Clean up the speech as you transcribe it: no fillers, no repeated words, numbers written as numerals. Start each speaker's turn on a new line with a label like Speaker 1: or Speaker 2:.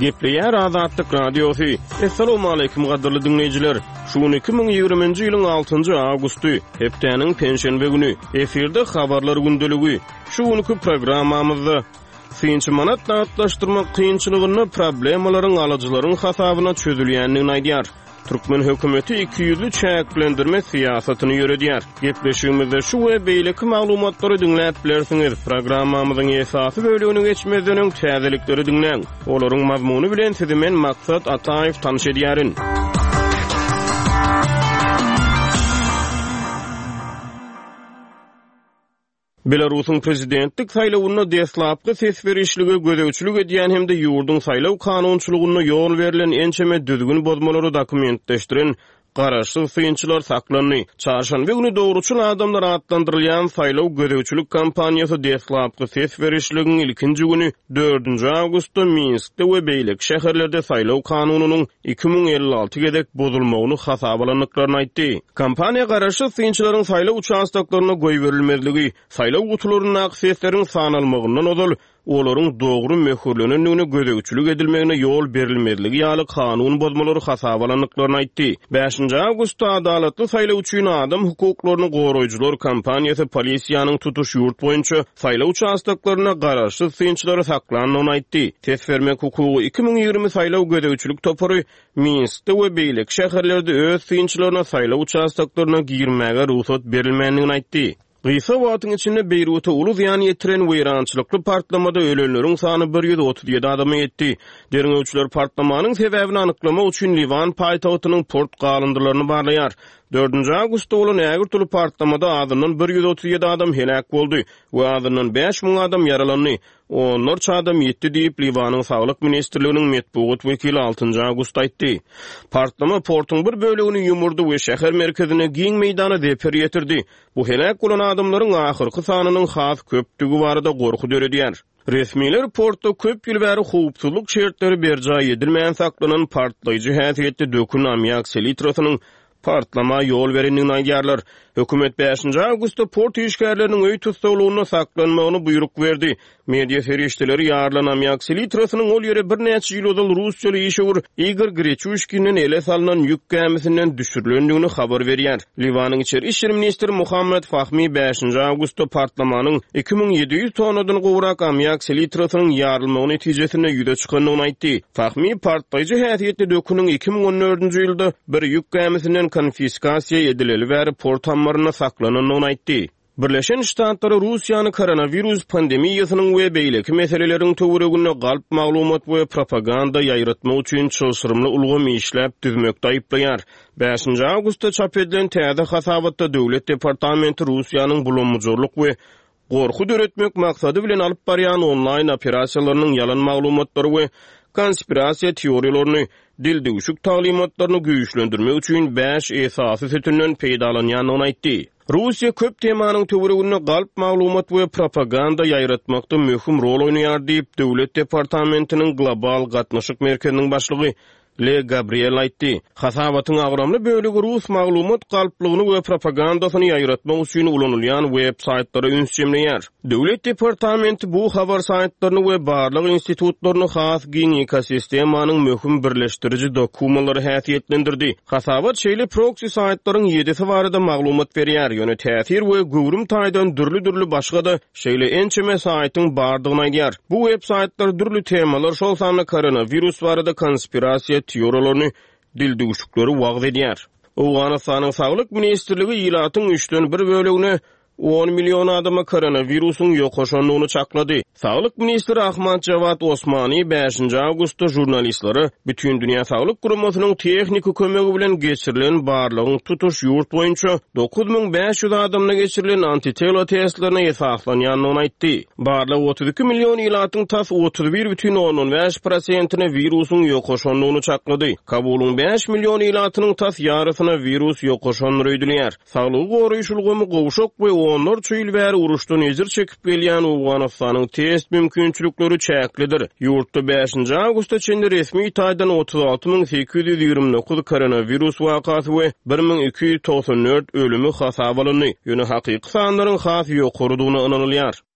Speaker 1: Gepleýär Azatlyk Radiosy. Assalamualaikum gadyrly diňleýjiler. Şu gün 2020-nji ýylyň 6-njy awgusty, hepdäniň penşenbe güni. Efirde habarlar gündeligi. Şu günki programmamyzda synçy manat nagtlaşdyrmak kynçylygynda problemalaryň alyjylaryň hasabyna çözülýändigini aýdýar. Türkmen hökümeti ikiýüzli çäklendirme syýasatyny ýöredýär. Gepleşigimizde şu we beýleki maglumatlary diňläp bilersiňiz. Programmamyzyň esasy bölegine geçmezden öň täzelikleri diňläň. Olaryň mazmuny bilen sizi men Maksat Ataýew tanyş edýärin. Belarusyň prezidentlik saýlawynda deslapky ses berişlige gözegçilik edýän hem-de ýurduň saýlaw kanunçylygynda ýol berlen ençeme düzgün bozmalary dokumentleşdiren garaşsyz synçylar saklandy. Çarşenbe güni Dogruçyl adamlar atlandyrylýan saýlaw gözegçilik kampaniýasy deslapky ses berişligiň ilkinji güni, dördünji awgustda Minskde we beýleki şäherlerde saýlaw kanunynyň 2056 gezek bozulmagyny hasaba alandyklaryny aýtdy. Kampaniýa garaşsyz synçylaryň saýlaw uçastoklaryna goýberilmezligi, saýlaw gutularyndaky sesleriň sanalmagyndan ozal olaryň dogry möhürlenendigine gözegçilik edilmegine ýol berilmezligi ýaly kanun bozmalary hasaba alandyklaryny aýtdy. Bäşinji awgustda Adalatly saýlaw üçin adam hukuklaryny goraýjylar kampaniýasy polisiýanyň tutuş ýurt boýunça saýlaw uçastoklarynda garaşsyz synçylary saklandygyny aýtdy. Ses bermek hukugy 2020 saýlaw gözegçilik topary Minskde we beýleki şäherlerde öz synçylaryna saýlaw uçastoklaryna girmäge rugsat berilmändigini aýtdy. Gysga wagtyň içinde Beýruta uly zyýan ýetiren weýrançylykly partlamada ölenleriň sany 137 adama ýetdi. Derňewçiler partlamanyň sebäbini anyklamak üçin Liwan paýtagtynyň port galyndylaryny barlaýar. Dördünji awgustda bolan ägirt uly partlamada azyndan 137 adam heläk boldy we azyndan 5000 adam ýaralandy. Onlarça adam ýitdi diýip, Liwanyň Saglyk ministrliginiň metbugat wekili altynjy awgustda aýtdy. Partlama portuň bir bölegini ýumurdy we şäher merkezinde giň meýdana zeper ýetirdi. Bu heläk bolan adamlaryň ahyrky sanynyň has köpdügi barada gorky döredýär. Resmiler portda köp ýyl bäri howpsuzlyk şertleri berjaý edilmän saklanan partlaýjy häsiýetli dökün ammiak selitrasynyň partlama ýol berendigini aýdýarlar. Hökümet bäşinji awgustda port işgärleriniň öý tussaglygynda saklanmagyny buýruk berdi. Media serişdeleri ýarylan ammiak selitrasynyň ol ýere birnäçe ýyl ozal russiýaly işewür Igor Greçuşkinden ele salnan ýük gämisinden düşürilendigini habar berýär. Liwanyň içeri işler ministri Muhammad Fahmi bäşinji awgustda partlamanyň 2700 tonnadan gowrak ammiak selitrasynyň ýarylmagy netijesinde ýüze çykandygyny aýtdy. Fahmi partlaýjy häsiýetli döküniň 2014-nji ýylda bir ýük gämisinden konfiskasiýa edileli bäri port ammarynda saklanandygyny aýtdy. Birleşen Ştatlary Russiýany koronawirus pandemiýasynyň we beýleki meseleleriň töwereginde galp maglumat we propaganda ýaýratmak üçin çylşyrymly ulgam işläp düzmekde aýyplaýar. Bäşinji awgustda çap edilen täze hasabatda Döwlet departamenti Russiýanyň bulam-bujarlyk we gorky döretmek maksady bilen alyp barýan onlaýn operasiýalarynyň ýalan maglumatlary we konspirasiýa teoriýalaryny, dildüwşük taglymatlaryny güýçlendirmek üçin bäş esasy sütünden peýdalanýandygyny aýtdy. Russiýa köp temanyň töwereginde galp maglumat we propaganda ýaýratmakda möhüm rol oýnaýar diýip, Döwlet departamentiniň Global gatnaşyk merkeziniň başlygy Le Gabriel aýtdy. Hasabatyň agramly bölegi rus maglumat galplygyny we propagandasyny ýaýratmak üçin ulanylýan web-saýtlara üns jemleýär. Döwlet departamenti bu habar saýtlaryny we barlag institutlaryny has giň ekosistemanyň möhüm birleşdiriji dokumalary häsiýetlendirdi. Hasabat şeýle proksi saýtlaryň ýedisi barada maglumat berýär, ýöne täsir we göwrüm taýdan dürli-dürli başga-da Şeýle ençeme saýtyň bardygyny aýdýar. Bu web saýtlar dürli temalar, şol sanda koronawirus barada konspirasiýa teoriýalaryny, dildüwşükleri wagyz edýär. Owganystanyň Saglyk ministrligi ilatyň üçden bir bölegine, on million adama koronawirusyň ýokaşandygyny çaklady. Saglyk ministri Ahmad Jawad Osmani bäşinji awgustda žurnalistlere Bütindünýä Saglyk Guramasynyň tehniki kömegi bilen geçirilen barlagyň tutuş ýurt boýunça 9500 adamda geçirilen antitela testlerine esaslanýandygyny aýtdy. Barlag 32 million ilatyň tas 31,5 prosentine wirusyň ýokaşandygyny çaklady. Kabulyň 5 million ilatynyň tas ýarysyna wirus ýokaşandyr öýdülýär. Saglygy goraýyş ulgamy gowşak we onlarça ýyl bäri uruşdan ejir çekip gelýän Owganystanyň test mümkinçilikleri çäklidir. Ýurtda bäşinji awgusta çenli resmi taýdan 36 829 koronawirus wakasy we 1294 ölümi hasaba alyndy, ýöne hakyky sanlaryň has ýokarydygyna ynanylýar.